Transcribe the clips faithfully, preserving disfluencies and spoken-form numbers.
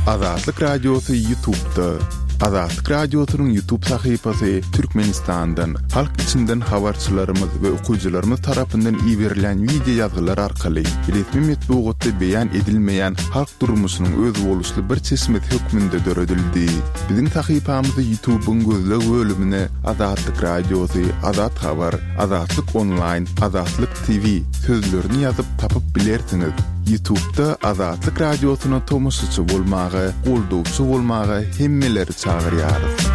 Azatlyk Radiosy YouTube'da. Azatlyk Radiosynyň YouTube sahypasy Türkmenistandan, halk içinden habarçylarymyz we okyjylarymyz tarapyndan iberilen wideo ýazgylar arkaly resmi metbugatda beýan edilmeýän halk durmuşynyň özboluşly bir çeşmesi hökmünde döredildi. Biziň sahypamyzy YouTube'yň gözleg bölümine Azatlyk Radiosy, Azat Habar, Azatlyk Online, Azatlyk T V sözlerini ýazyp tapyp bilersiňiz. YouTube'da Azatlyk Radiosyna tomaşaçy bolmaga, goldawçy bolmaga hemmeleri çagyrýarys.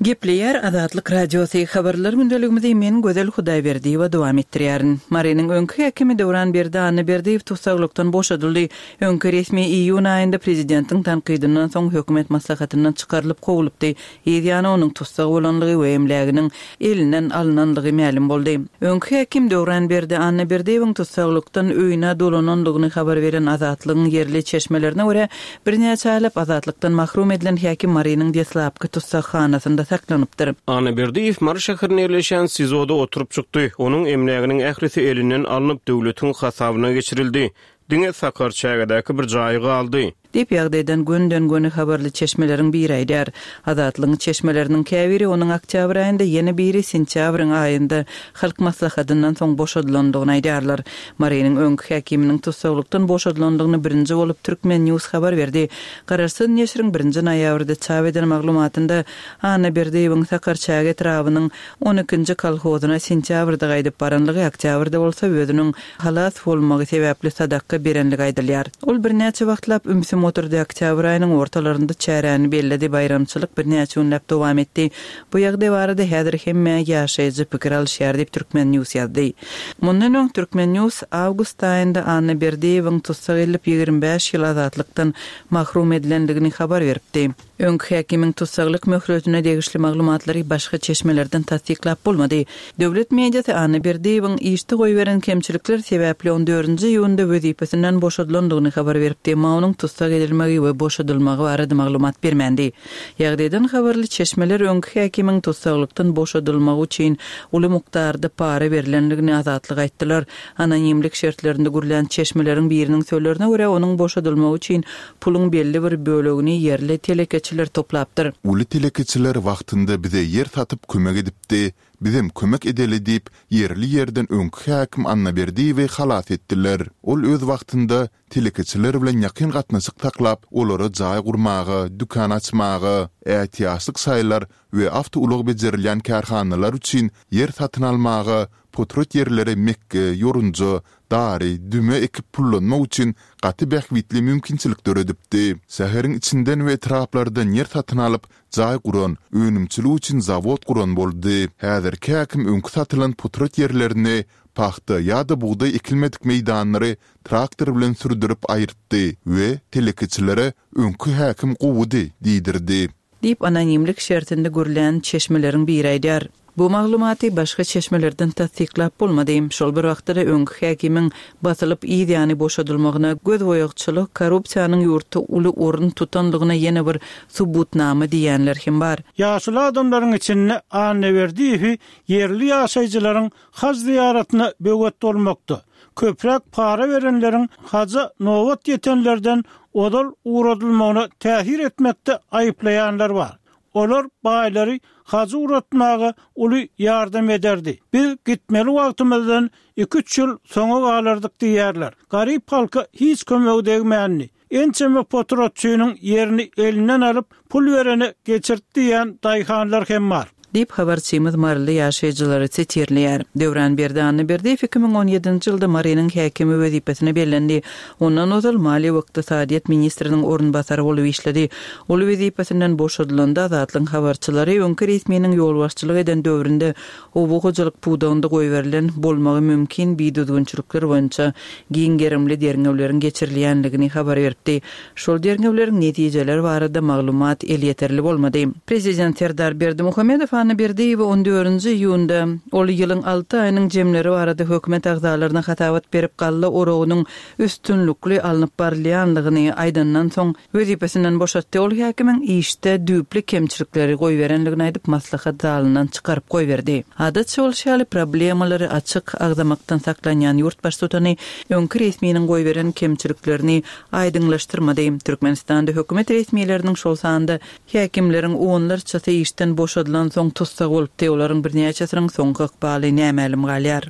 Gepleýär Azatlyk Radiosy habarlar gündeligimizi men Gözel Hudaýberdiýewa dowam etdirýärin. Marynyň öňki häkimi Döwranberdi Annaberdiýew tussaglykdan boşadyldy. Öňki resmi iýun aýynda prezidentiň tankydyndan soň hökümet maslahatyndan çykarylyp kowlupdy. Ýany onuň tussag bolanlygy we emläginiň elinden alynanlygy mälim boldy. Öňki häkim Döwranberdi Annaberdiýewiň tussaglykdan öýüne dolananlygyny habar beren Azatlygyň ýerli çeşmelerine görä birnäçe aýlap Azatlykdan mahrum edilen häkim Marynyň deslapky tussaghanasynda saklanypdyr. Annaberdiýew Mary şäherinde ýerleşen SİZOda oturyp çykdy. Onuň emläginiň ählisi elinden alnyp döwletiň hasabyna geçirildi. Diňe Sakarçägedäki bir jaýy galdy. Diýip ýagdaýdan günden-güne habarly çeşmeleriň biri aýdar. Azatlygyň çeşmeleriniň käbiri onuň oktýabr aýynda, ýene biri sentýabryň aýynda halk maslahatyndan soň boşadylandygyny aýdarlar. Marynyň öňki häkiminiň tussaglykdan boşadylandygyny birinji bolup Türkmen News habar berdi. Garaşsyz neşiriň birinji noýabrda çap eden maglumatynda Annaberdiýewiň Sakarçäge etrabynyň on ikinji kolhozyna sentýabrda gaýdyp baranlygy, oktýabrda bolsa özüniň halas bolmagy sebäpli sadaka berenligi aýdylýar. Ol birnäçe wagtlap ümsüm oturdy. Oktýabr aýynyň ortalarynda çäräni belledi, baýramçylyk birnäçe günläp dowam etdi. Bu ýagdaý barada häzir hemme ýaşaýjy pikir alyşýar diýip Türkmen News ýazdy. Mundan öň Türkmen News awgust aýynda Annaberdiýewiň tussag edilip ýigrimi bäş ýyl azatlykdan mahrum edilendigini habar beripdi. Öňki häkimiň tussaglyk möhletine degişli maglumatlary başga çeşmelerden tassyklap bolmady. Döwlet mediasy Annaberdiýewiň işde goýberen kemçilikler sebäpli on dördünji iýunda wezipesinden boşadylandygyny habar beripdi. Emma onuň tussag edilmegi we boşadylmagy barada maglumat bermändi. Ýagdaýdan habarly çeşmeler öňki häkimiň tussaglykdan boşadylmagy üçin uly mukdarda para berilendigini Azatlyga aýtdylar. Anonimlik şertlerinde gurlan çeşmeleriň biriniň sözlerine görä onuň boşadylmagy üçin puluň belli bir bölegini ýerli telekeçiler toplapdyr. Uly telekeçiler wagtynda bize ýer satyp kömek edipdi. Bizem kömek edeli diýip, ýerli ýerden öňki häkim Annaberdiýewi halas etdiler. Ol öz wagtynda telekeçiler bilen ýakyn gatnaşyk saklap, olara jaý gurmaga, dükan açmaga, ätiýaçlyk şaýlar we awtoulag bejerilýän kärhanalar üçin ýer satyn almaga, potrat ýerlere Mekke, Ýorunja, dary, düme ekip pullanmak üçin gaty bähbitli mümkinçilik döredipdi. Şäheriň içinden we etraplardan ýer satyn alyp, jaý guran, önümçilik üçin zawod guran boldy. Häzirki häkim öňki satylan potrat ýerlerini pagta ýa-da bugdaý ekilmedik meýdanlary traktor bilen sürdürip aýyrtdy we telekeçilere öňki häkim gowudy diýdirdi. Diýip anonimlik şertinde gurlan çeşmeleriň biri aýdar. Bu maglumaty başga çeşmelerden tassyklap bolmady. Şol bir wagtda öňki häkimiň basylyp ýany boşadylmagyna göz boýagçylyk, korrupsiýanyň ýurtda uly orun tutanlygyna ýene bir subutnama diýenler hem bar. Ýaşly adamlaryň içinde Annaberdiýewi ýerli ýaşaýjylaryň haj ziýaratyna böwet bolmakda. Köpräk para berenleriň haja nobat ýetenlerden ozal ugradylmagyna täsir etmekde aýyplaýanlar bar. Olar baýlary hajy ugratmaga uly ýardam ederdi. Biz gitmeli wagtymyzdan iki-üç ýyl soňa galardyk diýerler. Garyp halka hiç kömegi degmändi. Ençeme potratçynyň ýerini elinden alyp pul berene geçirdi diýen daýhanlar hem bar. Diýip habarçymyz Maryly ýaşaýjylary sitirleýär. Döwranberdi Annaberdiýew iki müň on ýedinji ýylda Marynyň häkimi wezipesine bellendi. Ondan ozal Maliýe we ykdysadyýet ministriniň orunbasary bolup işledi. Ol wezipesinden boşadylanda Azatlygyň habarçylary öňki resminiň ýolbaşçylyk eden döwründe oba hojalyk pudagynda goýberilen bolmagy mümkin bidüzgünçilikler boýunça giň gerimli derňewleriň geçirilýänligini habar beripdi. Şol derňewleriň netijeleri barada maglumat elýeterli bolmady. Prezident Serdar Berdimuhamedow Annaberdiýewi on dördünji iýunda ol ýylyň alty aýynyň jemleri barada hökümet agzalaryna hasabat berip galla oragynyň üstünlikli alnyp barylýanlygyny aýdandan soň wezipesinden boşatdy. Ol häkimiň işde düýpli kemçilikleri goýberenligini aýdyp maslahat zalyndan çykaryp goýberdi. Adatça bolşy ýaly problemalary açyk agzamakdan saklanýan ýurt baştutany öňki resminiň goýberen kemçiliklerini aýdyňlaşdyrmady. Türkmenistanda hökümet resmileriniň şol sanda häkimleriň onlarçasy işden boşadylan soň tussag bolupdy. Olaryň birnäçesiniň soňky ykbaly nämälim galýar.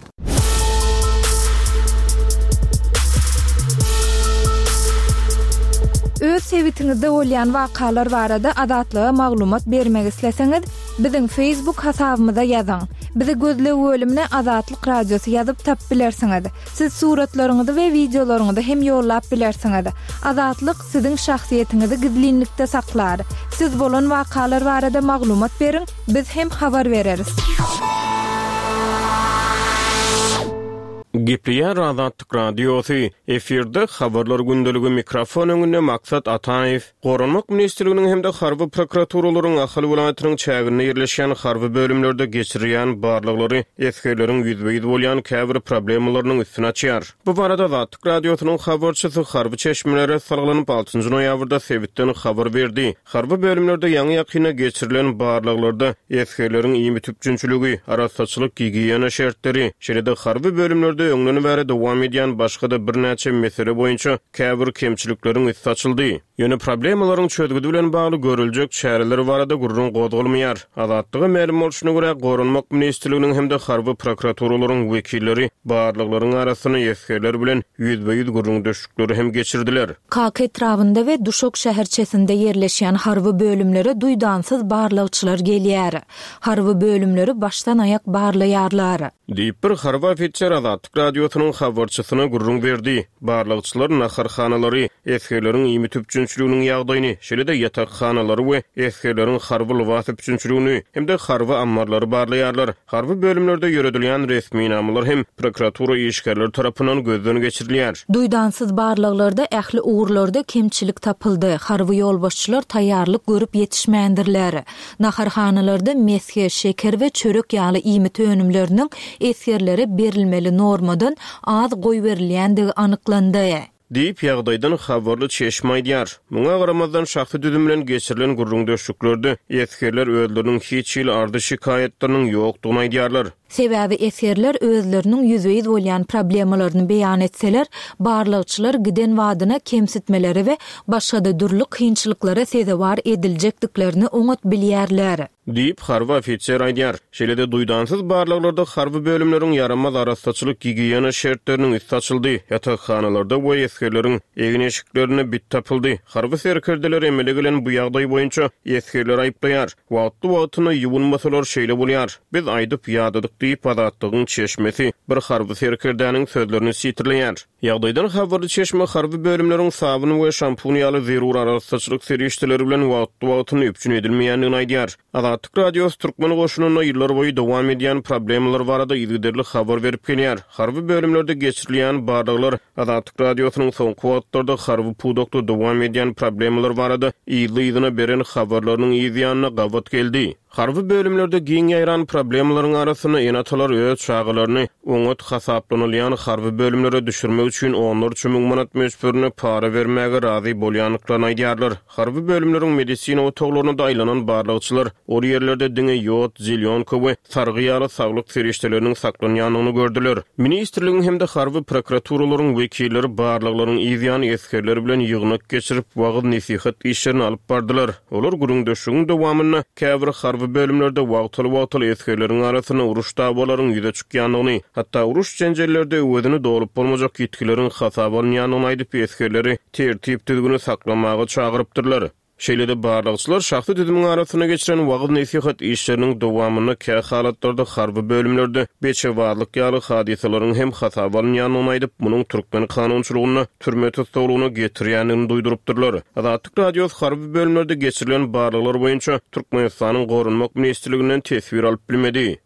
Öz sebitiňizde bolýan wakalar barada Azatlyga maglumat bermek isleseňiz, biziň Facebook hasabymyza ýazyň. Bizi gözleg bölümine Azatlyk Radiosy ýazyp tap bilersiňiz. Siz suratlaryňyzy we wideolaryňyzy hem ýollap bilersiňiz. Azatlyk siziň şahsyýetiňizi gizlinlikde saklar. Siz bolan wakalar barada maglumat beriň, biz hem habar bereris. Gepleýär Azatlyk Radiosy. Efirde habarlar gündeligi mikrofon öňünde Maksat Ataýew. Goranmak ministrliginiň hem-de harby prokuraturalaryň Ahal welaýatynyň çäginde ýerleşýän harby bölümlerde geçirilýän barlaglary esgerleriň ýüzbe-ýüz bolýan käbir problemalarynyň üstüni açýar. Bu barada Azatlyk Radiosynyň habarçysy harby çeşmelere salgylanyp altynjy noýabrda sebitden habar berdi. Harby bölümlerde ýaňy ýakyna geçirilen barlaglarda esgerleriň iýmit üpjünçiligi, arassaçylyk, gigiýena şertleri, şeýle-de harby bölümlerde öňden bäri dowam edýän başga-da birnäçe mesele boýunça käbir kemçilikleriň üsti açyldy. Ýöne problemalaryň çözgüdi bilen bagly görüljek çäreler barada gürrüň gozgalmaýar. Azatlyga mälim bolşuna görä, Goranmak ministrliginiň hem-de harby prokuraturalaryň wekilleri barlaglaryň arasynda esgerler bilen ýüzbe-ýüz gürrüňdeşlikleri hem geçirdiler. Kaka etrabynda we Duşak şäherçesinde ýerleşýän harby bölümlere duýdansyz barlagçylar gelýär. Harby bölümleri başdan aýak barlaýarlar. Diýip bir harby ofiser Azatlyk Radiosynyň habarçysyna gürrüň berdi. Barlagçylar naharhanalary, esgerleriň iýmit üpjünçiliginiň ýagdaýyny, şeýle-de ýatakhanalary we esgerleriň harby lybas üpjünçiligini hem-de harby ammarlary barlaýarlar. Harby bölümlerde ýöredilýän resminamalar hem prokuratura işgärleri tarapyndan gözden geçirilýär. Duýdansyz barlaglarda ähli ugurlarda kemçilik tapyldy. Harby ýolbaşçylar taýýarlyk görüp ýetişmändirler. Naharhanalarda mesge, şeker we çörek ýaly iýmit önümleriniň esgerlere berilmeli normadan az goýberilýändigi anyklandy. Diýip ýagdaýdan habarly çeşme aýdýar. Muňa garamazdan şahsy düzüm bilen geçirilen gürrüňdeşliklerde esgerler özleriniň hiç hili ardy şikaýatlarynyň ýokdugyny aýdýarlar. Sebäbi esgerler özleriniň ýüzbe-ýüz bolýan problemalaryny beýan etseler, barlagçylar giden wadyna kemsitmeleri we başga-da dürli kynçylyklara sezewar ediljekdiklerini oňat bilýärler. Diýip harby ofiser aýdýar. Şeýle-de duýdansyz barlaglarda harby bölümleriň ýaramaz arassaçylyk gigiýena şertleriniň üsti açyldy. Ýatakhanalarda we esgerleriň egin-eşiklerine bit tapyldy. Harby serkerdeler emele gelen bu ýagdaý boýunça esgerler aýyplaýar. Wagtly-wagtyna ýuwunmasalar şeýle bolýar. Biz aýdyp ýadadyk diýip Azatlygyň çeşmesi bir harby serkerdäniň sözlerini sitirleýär. Ýagdaýdan habarly çeşme harby bölümleriň sabyn we şampun ýaly zerur arassaçylyk serişdeleri bilen wagtly-wagtyna üpjün edilmeýändigini aýdýar. Azatlyk Radiosy Türkmen goşunynda ýyllar boýy dowam edýän problemalar barada yzygiderli habar berip gelýär. Harby bölümlerde geçirilýän barlaglar Azatlyk Radiosynyň soňky wagtlarda harby pudakda dowam edýän problemalar barada yzly-yzyna beren habarlarynyň yzýanyna gabat geldi. Harby bölümlerde giň ýaýran problemalaryň arasynda ene-atalar öz çagalaryny oňat hasaplanylýan harby bölümlere düşürmek üçin onlarça müň manat möçberine para bermäge razy bolýandyklaryny aýdýarlar. Harby bölümleriň medisina otaglaryna da aýlanan barlagçylar ol ýerlerde diňe ýod, zelýonka we sargy ýaly saglyk serişdeleriniň saklanýandygyny gördüler. Ministrligiň hem-de harby prokuraturalaryň wekilleri barlaglaryň yzýany esgerler bilen ýygnak geçirip, wagyz-nesihat işlerini alyp bardylar. Olar gürrüňdeşligiň dowamynda käbir harby bölümlerde wagtal-wagtal esgerleriň arasynda uruş dawalaryň ýüze çykýandygyny, hatda uruş jenjellerde öwezini dolup bolmajak ýitgileriň hasaba alynýandygyny aýdyp, esgerleri tertip düzgüni saklamaga çagyrypdyrlar. Şeýle-de barlagçylar şahsy düzümiň arasynda geçiren wagyz-nesihat işleriniň dowamynda kä halatlarda harby bölümlerde beçewazlyk ýaly hadysalaryň hem hasaba alynýandygyny aýdyp, munuň türkmen kanunçylygynda türme tussaglygyna getirýändigini duýdurypdyrlar. Azatlyk Radiosy harby bölümlerde geçirilen barlaglar boýunça Türkmenistanyň Goranmak ministrliginden teswir alyp bilmedi.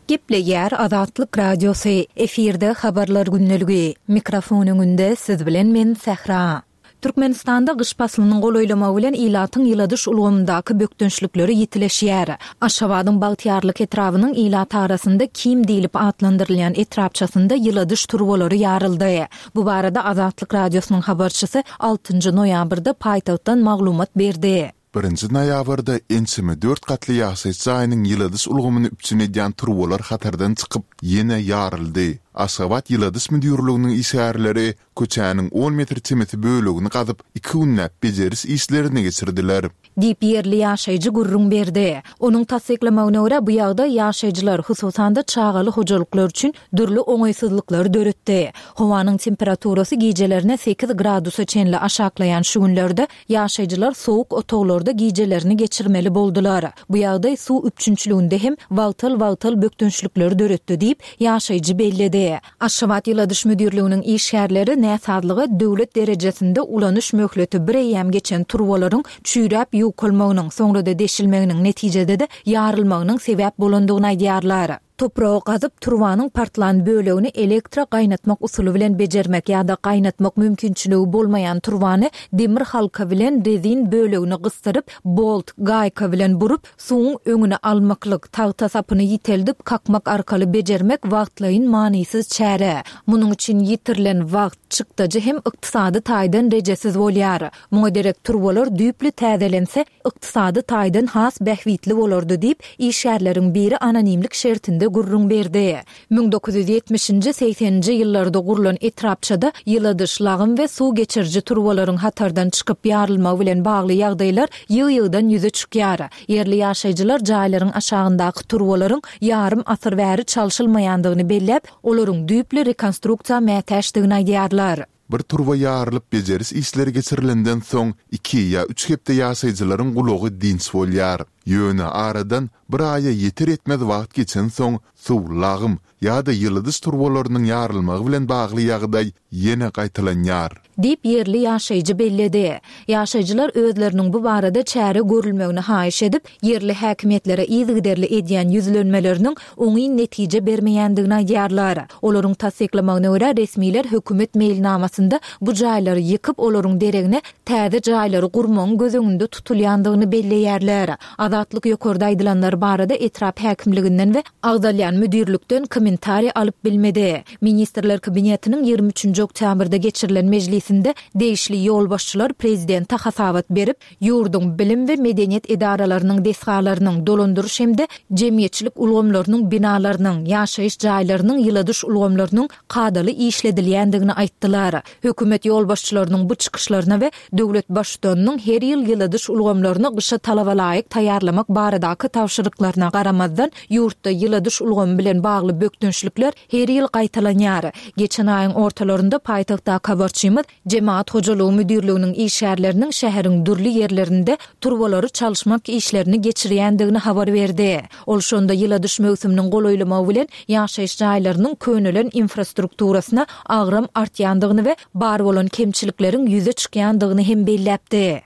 Gepleýär Azatlyk Radiosy. Efirde habarlar gündeligi. Mikrofon öňünde siz bilen men Sähra. Türkmenistanda gyş paslynyň golaýlamagy bilen ilatyň ýyladyş ulgamyndaky bökdençlikleri ýitileşýär. Aşgabadyň Bagtyýarlyk etrabynyň ilat arasynda Kim diýlip atlandyrylýan etrapçasynda ýyladyş turbalary ýaryldy. Bu barada Azatlyk Radiosynyň habarçysy altynjy noýabrda paýtagtdan maglumat berdi. Birinji noýabrda ençeme dört gatly ýaşaýyş jaýynyň ýyladyş ulgamyny üpjün edýän turbalar hatardan çykyp, ýene ýaryldy. Aşgabat ýyladyş müdirliginiň işgärleri köçäniň on metr çemesi bölegini gazyp, iki günläp bejeriş işlerini geçirdiler. Diýip, ýerli ýaşaýjy gürrüň berdi. Onuň tassyklamagyna görä, bu ýagdaý ýaşaýjylar, hususan-da, çagaly hojalyklar üçin dürli oňaýsyzlyklary döretdi. Howanyň temperaturasy gijelerine sekiz gradusa çenli aşaklaýan şu günlerde ýaşaýjylar sowuk otaglarda gijelerini geçirmeli boldular. Bu ýagdaý suw üpjünçiliginde hem wagtal-wagtal bökdençlikleri döretdi diýip, ýaşaýjy belledi. Aşgabat ýyladyş müdirliginiň işgärleri näsazlyga döwlet derejesinde ulanyş möhleti bir eýýäm geçen turbalaryň çüýräp ýukalmagynyň, soňra-da deşilmeginiň, netijede-de ýarylmagynyň sebäp bolandygyny aýdýarlar. Topragy gazyp, turbanyň partlan bölegini elektro gaýnatmak usuly bilen bejermek ýa-da gaýnatmak mümkinçiligi bolmaýan turbany demir halka bilen rezin bölegini gysdyryp, bolt, gaýka bilen burup, suwuň öňüni almaklyk, tagta sapyny ýiteldip kakmak arkaly bejermek wagtlaýyn manysyz çäre. Munuň üçin ýitirilen wagt, çykdajy hem ykdysady taýdan rejesiz bolýar. Muňa derek turbalar düýpli täzelense, ykdysady taýdan has bähbitli bolardy diýip, işgärleriň biri anonimlik şertinde gürrüň berdi. Müň dokuz ýüz ýetmişinji, segseninji ýyllarda gurlan etrapçada ýyladyş, lagym we suw geçiriji turbalaryň hatardan çykyp ýarylmagy bilen bagly ýagdaýlar ýygy-ýygydan ýüze çykýar. Ýerli ýaşaýjylar jaýlaryň aşagyndaky turbalaryň ýarym asyr bäri çalşylmaýandygyny belläp, olaryň düýpli rekonstruksiýa mätäçdigini aýdýarlar. Bir turba ýarylyp bejeriş işleri geçirilenden soň iki ýa üç hepde ýaşaýjylaryň gulagy dynç bolýar. Ýöne aradan bir aýa ýeter-ýetmez wagt geçensoň suw, lagym ýa-da ýyladyş turbalarynyň ýarylmagy bilen bagly ýagdaý ýene gaýtalanýar. Diýip, ýerli ýaşaýjy belledi. Ýaşaýjylar özleriniň bu barada çäre görülmegini haýyş edip, ýerli häkimiýetlere yzygiderli edýän ýüzlenmeleriniň oňyn netije bermeýändigini aýdýarlar. Olaryň tassyklamagyna görä, resmiler hökümet meýilnamasynda bu jaýlary ýykyp, olaryň deregine täze jaýlary gurmagyň göz öňünde tutulýandygyny belleýärler. Azatlyk ýokarda aýdylanlar barada etrap häkimliginden we agzalýan müdirlikden kommentariý alyp bilmedi. Ministrler Kabinetiniň ýigrimi üçünji oktýabrda geçirilen mejlisinde degişli ýolbaşçylar prezidente hasabat berip, ýurduň bilim we medeniýet edaralarynyň desgalarynyň, dolandyryş hem-de jemgyýetçilik ulgamlarynyň binalarynyň, ýaşaýyş jaýlarynyň ýyladyş ulgamlarynyň kadaly işledilýändigini aýtdylar. Hökümet ýolbaşçylarynyň bu çykyşlaryna we döwlet Baştutanynyň her ýyl ýyladyş ulgamlaryny gyşa talaba laýyk taýýarlamak baradaky tabşyryklaryna garamazdan, ýurtda ýyladyş ulgamy bilen bagly bökdençlikler her ýyl gaýtalanýar. Geçen aýyň ortalarynda paýtagtdaky habarçymyz Jemagat hojalygy müdirliginiň işgärleriniň şäheriň dürli ýerlerinde turbalary çalyşmak işlerini geçirýändigini habar berdi. Ol şonda ýyladyş möwsüminiň golaýlamagy bilen ýaşaýyş jaýlarynyň könelen infrastrukturasyna agram artýandygyny we bar bolan kemçilikleriň ýüze çykýandygyny hem belläpdi.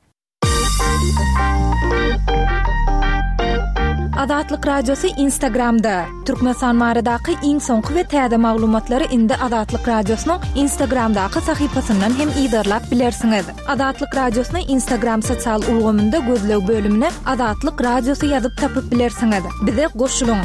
Azatlyk Radiosy Instagramda. Türkmenistan baradaky iň soňky we täze maglumatlary indi Azatlyk Radiosynyň Instagramdaky sahypasyndan hem yzarlap bilersiňiz. Azatlyk Radiosyny Instagram sosial ulgamynda gözleg bölümine Azatlyk Radiosy ýazyp tapyp bilersiňiz. Bize goşulyň!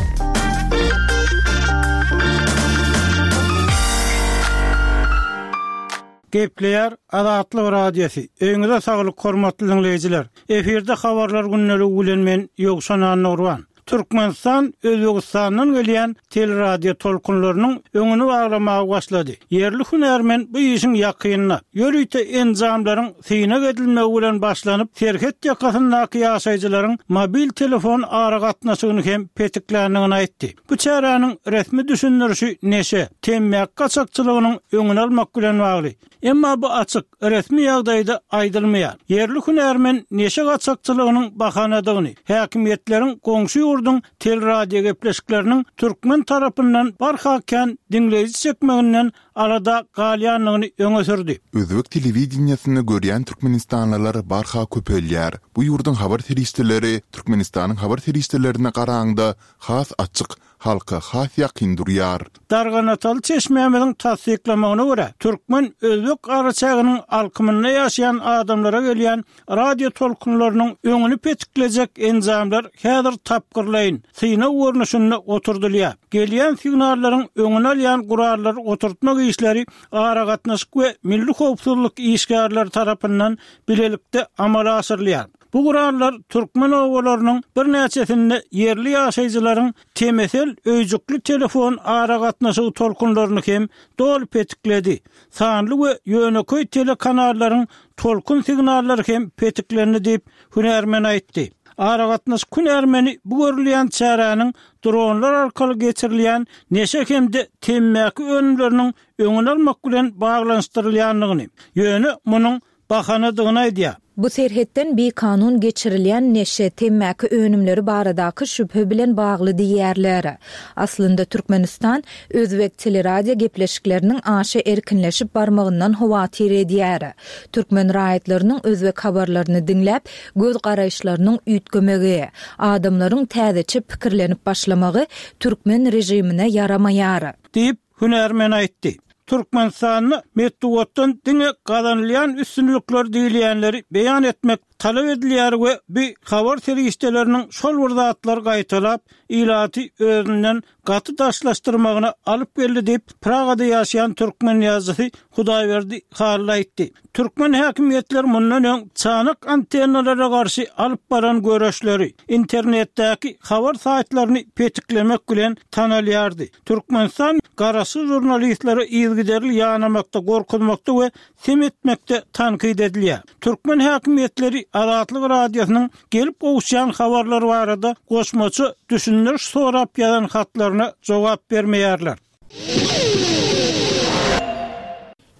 Gepleýär Azatlyk Radiosy. Öýüňize saglyk, hormatly diňleýjiler. Efirde habarlar gündeligi bilen men Ýowşan Annagurban. Türkmenistan Özbegistandan gelýän teleradio tolkunlarynyň öňüni baglamaga başlady. Ýerli hünärmen bu işiň ýakynda, ýörite enjamlaryň synag edilmegi bilen başlanyp, serhet ýakasyndaky ýaşaýjylaryň mobil telefon aragatnaşygyny hem petikländigini aýtdy. Bu çäräniň resmi düşündirişi neşe, temmäki gaçakçylygynyň öňüni almak bilen bagly. Emma bu açyk, resmi ýagdaýda aýdylmaýar. Ýerli hünärmen neşe gaçakçylygynyň bahanadygyny, häkimiýetleriň goňşy ýurduň telradiogepleşikleriniň türkmen tarapyndan barha kän diňleýji çekmeginden alada galýandygyny öňe sürdi. Özbek telewideniýesini görýän türkmenistanlylar barha köpelýär. Bu ýurduň habar serişdeleri Türkmenistanyň habar serişdelerine garaňda has açyk, halka has ýakyn durýar. Darganataly çeşmämiziň tassyklamagyna görä, türkmen-özbek araçäginiň alkymynda ýaşaýan adamlara gelýän radio tolkunlarynyň öňüni petiklejek enjamlar häzir tapgyrlaýyn, synag görnüşinde oturdylýar. Gelýän signallaryň öňüni alýan gurallary oturtmak işleri aragatnaşyk we milli howpsuzlyk işgärleri tarapyndan bilelikde amala aşyrylýar. Bu gurallar türkmen obalarynyň birnäçesinde ýerli ýaşaýjylaryň Tmcell öýjükli telefon aragatnaşygy tolkunlaryny hem doly petikledi. Sanly we ýönekeý telekanallaryň tolkun signallary hem petiklendi diýip, hünärmen aýtdy. Aragatnaşyk hünärmeni bu görülýän çäräniň dronlar arkaly geçirilýän neşe hem-de temmäki önümleriniň öňüni almak bilen baglanyşdyrylýandygyny, ýöne munuň bahanadygyny aýdýar. Bu serhetden bikanun geçirilýän neşe, temmäki önümleri baradaky şübhe bilen bagly diýýärler. Aslynda Türkmenistan özbek teleradio gepleşikleriniň aşa erkinleşip barmagyndan howatyr edýär. Türkmen raýatlarynyň özbek habarlaryny diňläp, göz garaýyşlarynyň üýtgemegi, adamlaryň täzeçe pikirlenip başlamagy türkmen režimine ýaramaýar. Diýip, hünärmen aýtdy. Türkmenistanda metbugatdan diňe gazanylýan üstünlikler diýilýänleri beýan etmek talap edilýär we bu habar serişdeleriniň şol bir zatlary gaýtalap, ilaty özünden gaty daşlaşdyrmagyna alyp geldi diýip, Pragada ýaşaýan türkmen ýazyjysy Hudaýberdi Hally aýtdy. Türkmen häkimiýetleri mundan öň çanak antennalara garşy alyp baran göreşleri, internetdäki habar saýtlaryny petiklemek bilen tanalýardy. Türkmenistan garaşsyz žurnalistlere yzygiderli ýanamakda, gorkuzmakda we sem etmekde tankyt edilýär. Türkmen häkimiýetleri Azatlyk Radiosynyň gelip gowuşýan habarlar barada goşmaça düşündiriş sorap ýazan hatlaryna jogap bermeýärler.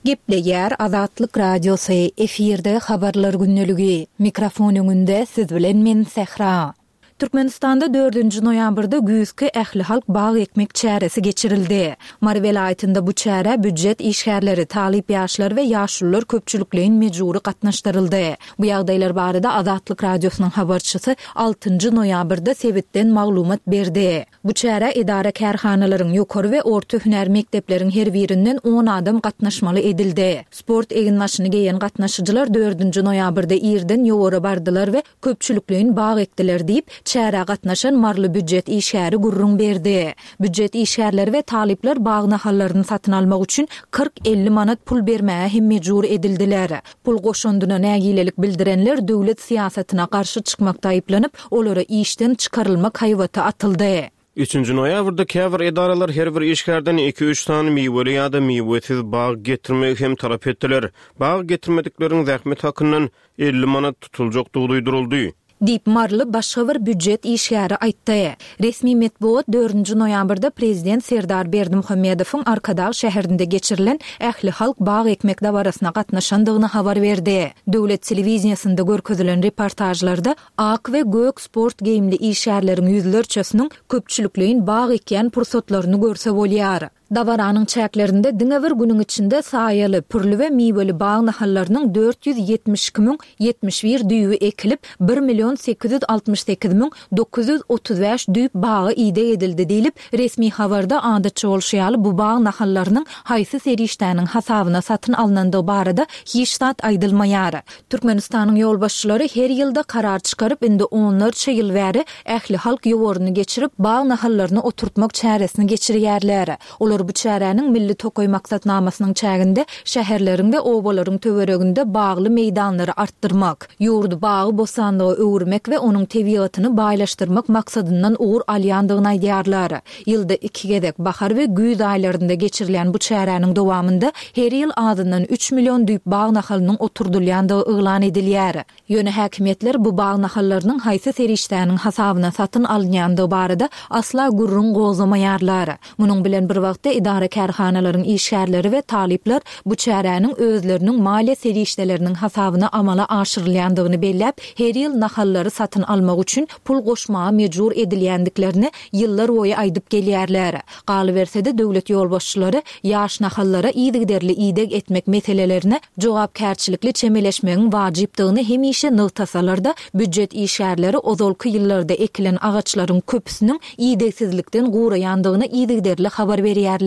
Gepleýär Azatlyk Radiosy, efirde Habarlar gündeligi. Mikrofon öňünde siz bilen men Sähra. Türkmenistanda dördünji noýabrda güýzki ählihalk bag ekmek çäresi geçirildi. Mary welaýatynda bu çärä býujet işgärleri, talyp ýaşlar we ýaşulular köpçülikleýin mejbury gatnaşdyryldy. Bu ýagdaýlar barada Azatlyk Radiosynyň habarçysy altynjy noýabrda sebitden maglumat berdi. Bu çärä edara-kärhanalaryň, ýokary we orta hünär mekdepleriň her birinden on adam gatnaşmaly edildi. Sport eginbaşyny geýen gatnaşyjylar dördünji noýabrda irden ýowara bardylar we köpçülikleýin bag ekdiler diýip, çärä gatnaşan maryly býujet işgäri gürrüň berdi. Býujet işgärleri we talyplar bag nahallaryny satyn almak üçin kyrk-elli manat pul bermäge hem mejbur edildiler. Pul goşundyna nägilelik bildirenler döwlet syýasatyna garşy çykmakda aýyplanyp, olara işden çykarylmak haýbaty atyldy. Üçünji noýabrda käbir edaralar her bir işgärden iki-üç sany miweli ýa-da miwesiz bag getirmegi hem talap etdiler. Bag getirmedikleriň zähmet hakyndan elli manat tutuljakdygy duýduryldy. Diýip, maryly başga bir býujet işgäri aýtdy. Resmi metbugat dördünji noýabrda prezident Serdar Berdimuhamedowyň Arkadag şäherinde geçirilen ählihalk bag ekmek dabarasyna gatnaşandygyny habar berdi. Döwlet telewideniýesinde görkezilen reportažlarda ak we gök sport geýimli işgärleriň ýüzlerçesiniň köpçülikleýin bag ekýän pursatlaryny görse bolýar. Dabaranyň çäklerinde diňe bir günüň içinde saýaly, pürli we miweli bag nahallarynyň dört ýüz ýetmiş iki müň ýetmiş bir düýbi ekilip, bir million sekiz ýüz altmyş sekiz müň dokuz ýüz otuz bäş düýp baga ideg edildi diýlip, resmi habarda adatça bolşy ýaly bu bag nahallarynyň haýsy serişdäniň hasabyna satyn alnandygy barada hiç zat aýdylmaýar. Türkmenistanyň ýolbaşçylary her ýylda karar çykaryp, indi onlarça ýyl bäri ählihalk ýowaryny geçirip, bag nahallaryny oturtmak çäresini geçirýärler. Olar bu çäräniň Milli tokaý maksatnamasynyň çäginde şäherleriň we obalaryň töwereginde bagly meýdanlary artdyrmak, ýurdy bagy-bossanlyga öwürmek we onuň tebigatyny baýlaşdyrmak maksadyndan ugur alýandygyny aýdýarlar. Ýylda iki gezek, bahar we güýz aýlarynda geçirilýän bu çäräniň dowamynda her ýyl azyndan üç million düýp bag nahalynyň oturdylýandygy yglan edilýär. Ýöne häkimiýetler bu bag nahallarynyň haýsy serişdäniň hasabyna satyn alynýandygy barada asla gürrüň gozgamaýarlar. Munuň bilen bir wagtda Elbetde, edara-kärhanalaryň işgärleri we talyplar bu çäräniň özleriniň maliýe serişdeleriniň hasabyna amala aşyrylýandygyny belläp, her ýyl nahallary satyn almak üçin pul goşmaga mejbur edilýändiklerini ýyllarboýy aýdyp gelýärler. Galyberse-de, döwlet ýolbaşçylary ýaş nahallara yzygiderli ideg etmek meselelerine jogapkärçilikli çemeleşmegiň wajypdygyny hemişe nygtasalar-da, býujet işgärleri ozalky ýyllarda ekilen agaçlaryň köpüsiniň idegsizlikden guraýandygyny yzygiderli habar berýärler.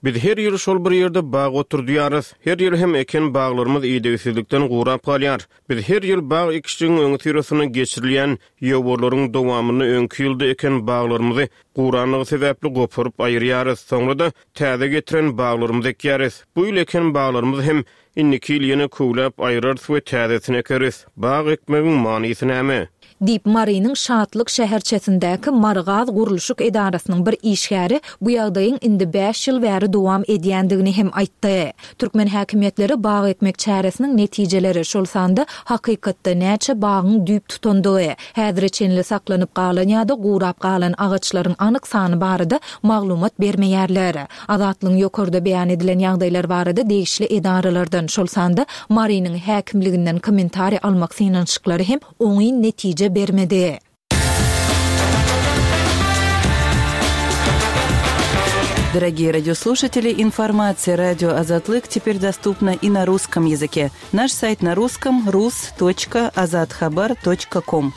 Biz her ýyl şol bir ýerde bag oturdýarys. Her ýyl hem eken baglarymyz idegsizlikden gurap galýar. Biz her ýyl bag ekişligiň öňüsyrasynda geçirilýän ýowarlaryň dowamynda öňki ýylda eken baglarymyzy guranlygy sebäpli goparyp aýyrýarys. Soňra-da täze getiren baglarymyzy ekýäris. Bu ýyl eken baglarymyzy hem indiki ýyl ýene köwläp aýyrarys we täzesini ekeris. Bag ekmegiň manysy näme? Diýip, Marynyň Şatlyk şäherçesindäki Marygaz gurluşyk edarasynyň bir işgäri bu ýagdaýyň indi bäş ýyl bäri dowam edýändigini hem aýtdy. Türkmen häkimiýetleri bag ekmek çäresiniň netijeleri, şol sanda hakykatda näçe bagyň düýp tutandygy, häzire çenli saklanyp galan ýa-da gurap galan agaçlaryň anyk sany barada maglumat bermeýärler. Azatlygyň ýokarda beýan edilen ýagdaýlar barada degişli edaralardan, şol sanda Marynyň häkimliginden kommentariý almak synanyşyklary hem oňyn netije bermedi. Дорогие радиослушатели, информация радио Азатлык теперь доступна и на русском языке. Наш сайт на русском rus.azathabar.com.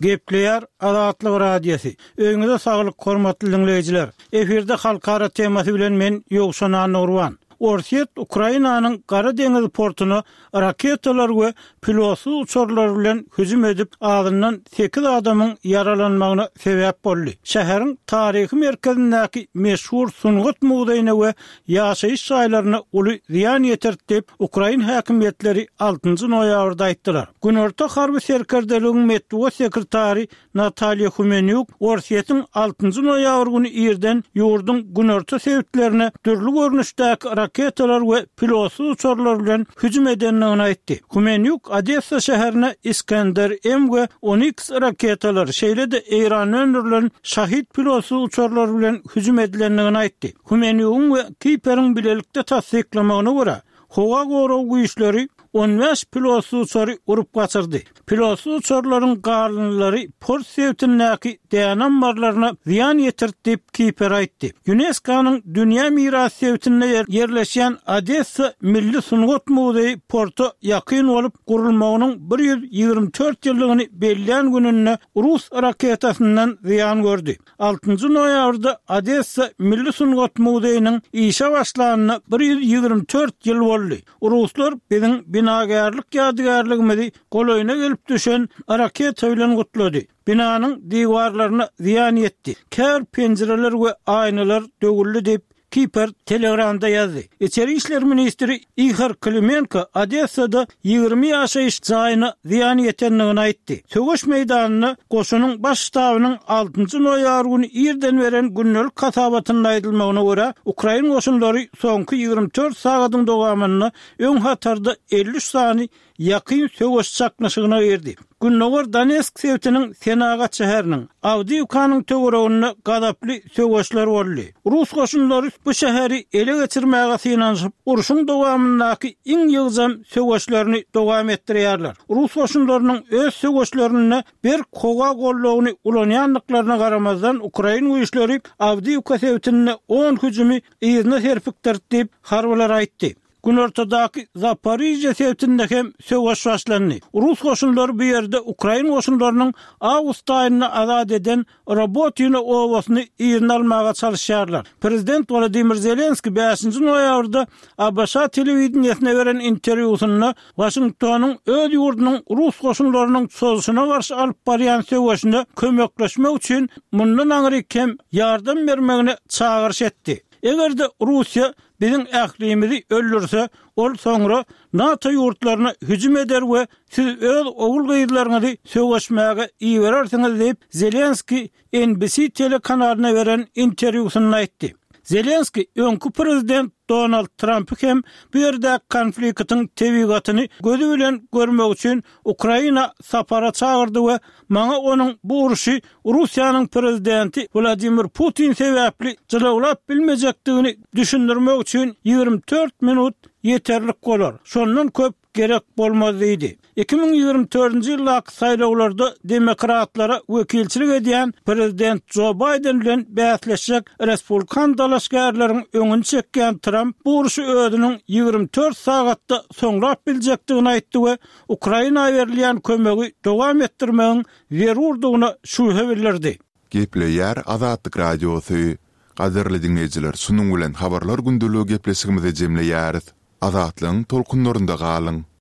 Gepleýär Azatlyk Radiosy. Öýüňize saglyk, hormatly diňleýjiler. Efirde halkara temasy bilen men Ýowşan Annagurban. Orsýet Ukrainanyň Gara deňiz portuna raketalar we pilotsyz uçarlar bilen hüjüm edip, azyndan sekiz adamyň ýaralanmagyna sebäp boldy. Şäheriň taryhy merkezindäki meşhur sungat muzeýine we ýaşaýyş jaýlaryna uly zyýan ýetirdi diýip, ukrain häkimiýetleri altynjy noýabrda aýtdylar. Günorta harby serkerdeligiň metbugat sekretary Natalýa Humenýuk Orsýetiň altynjy noýabr güni irden ýurduň günorta sebitlerine dürli görnüşdäki raketalar we pilotsyz uçarlar bilen hüjüm edendigini aýtdy. Humenýuk Odessa şäherine Iskender M we Oniks raketalary, şeýle-de Eýranda öndürilen Şahid pilotsyz uçarlar bilen hüjüm edilendigini aýtdy. Humenýugyň we Kiperiň bilelikde tassyklamagyna görä, howa gorag güýçleri on bäş pilotsyz uçary urup gaçyrdy. Pilotsyz uçarlaryň galyndylary port sebitindäki däne ammarlaryna zyýan ýetirdi diýip, Kiper aýtdy. Ýunesko-nyň Dünýä mirasy sebitinde ýerleşýän Odessa milli sungat muzeýi porta ýakyn bolup, gurulmagynyň bir ýüz ýigrimi dört ýyllygyny bellän gününde rus raketasyndan zyýan gördi. Altynjy noýabrda Odessa milli sungat muzeýiniň işe başlanyna bir ýüz ýigrimi dört ýyl boldy. Ruslar biziň binagärlik ýadygärligimizi golaýyna gelip düşen raketa bilen gutlady. Binanyň diwarlaryna zyýan ýetdi. Käbir penjireler we aýnalar döwüldi diýip, Kiper Telegramda ýazdy. Içeri işler ministri Ihor Klimenko Odessada ýigrimi ýaşaýyş jaýyna zyýan ýetendigini aýtdy. Söweş meýdanynda goşunyň baş ştabynyň altynjy noýabr güni irden beren gündelik hasabatynda aýdylmagyna görä, ukrain goşunlary soňky ýigrimi dört sagadyň dowamynda öň hatarda elli üç sany ýakyn söweş çaknyşygyna girdi. Gündogar Donetsk sebitiniň senagat şäheriniň Awdiýewkanyň töwereginde gazaply söweşler boldy. Rus goşunlary bu şäheri ele geçirmäge synanyşyp, urşuň dowamyndaky iň ýygjam söweşlerini dowam etdirýärler. Rus goşunlarynyň öz söweşlerinde berk howa goldawyny ulanýandyklaryna garamazdan, ukrain güýçleri Awdiýewka sebitinde on hüjümi yzyna serpikdirdi diýip, harbylar aýtdy. Günortadaky Zaporižýe sebitinde hem söweş başlandy. Rus goşunlary bu ýerde ukrain goşunlarynyň awgust aýynda azat eden Robotino obasyny yzyna almaga çalyşýarlar. Prezident Wladimir Zelenskiý bäşinji noýabrda A B Ş telewideniýesine beren interwýusynda Waşingtonyň öz ýurdunyň rus goşunlarynyň çozuşyna garşy alyp barýan söweşine kömekleşmek üçin mundan aňryk hem ýardam bermegine çagyryş etdi. Eger-de Russiýa biziň ählimizi öldürse, ol soňra NATO ýurtlaryna hüjüm eder we siz öz ogul-gyzlaryňyzy söweşmäge iberersiňiz diýip, Zelenskiý N B C telekanalyna beren interwýusynda aýtdy. Zelenskiý öňki prezident Donald Trampy hem bu ýerdäki konfliktiň tebigatyny gözi bilen görmek üçin Ukraina sapara çagyrdy we maňa onuň bu urşy Russiýanyň prezidenti Wladimir Putin sebäpli jylawlap bilmejekdigini düşündirmek üçin ýigrimi dört minut ýeterlik bolar, şondan köp gerek bolmaz diýdi. Iki müň ýigrimi dördünji ýyldaky saýlawlarda demokratlara wekilçilik edýän prezident Jo Baýden bilen bäsleşjek respublikan dalaşgärleriň öňüni çekýän Tramp bu urşy özüniň ýigrimi dört sagatda soňlap biljekdigini aýtdy we Ukraina berilýän kömegi dowam etdirmegiň zerurdygyna şübhe bildirdi. Gepleýär Azatlyk Radiosy. Gadyrly diňleýjiler, şunuň bilen Habarlar gündeligi gepleşigimizi jemleýäris. Azatlygyň tolkunlarynda galyň!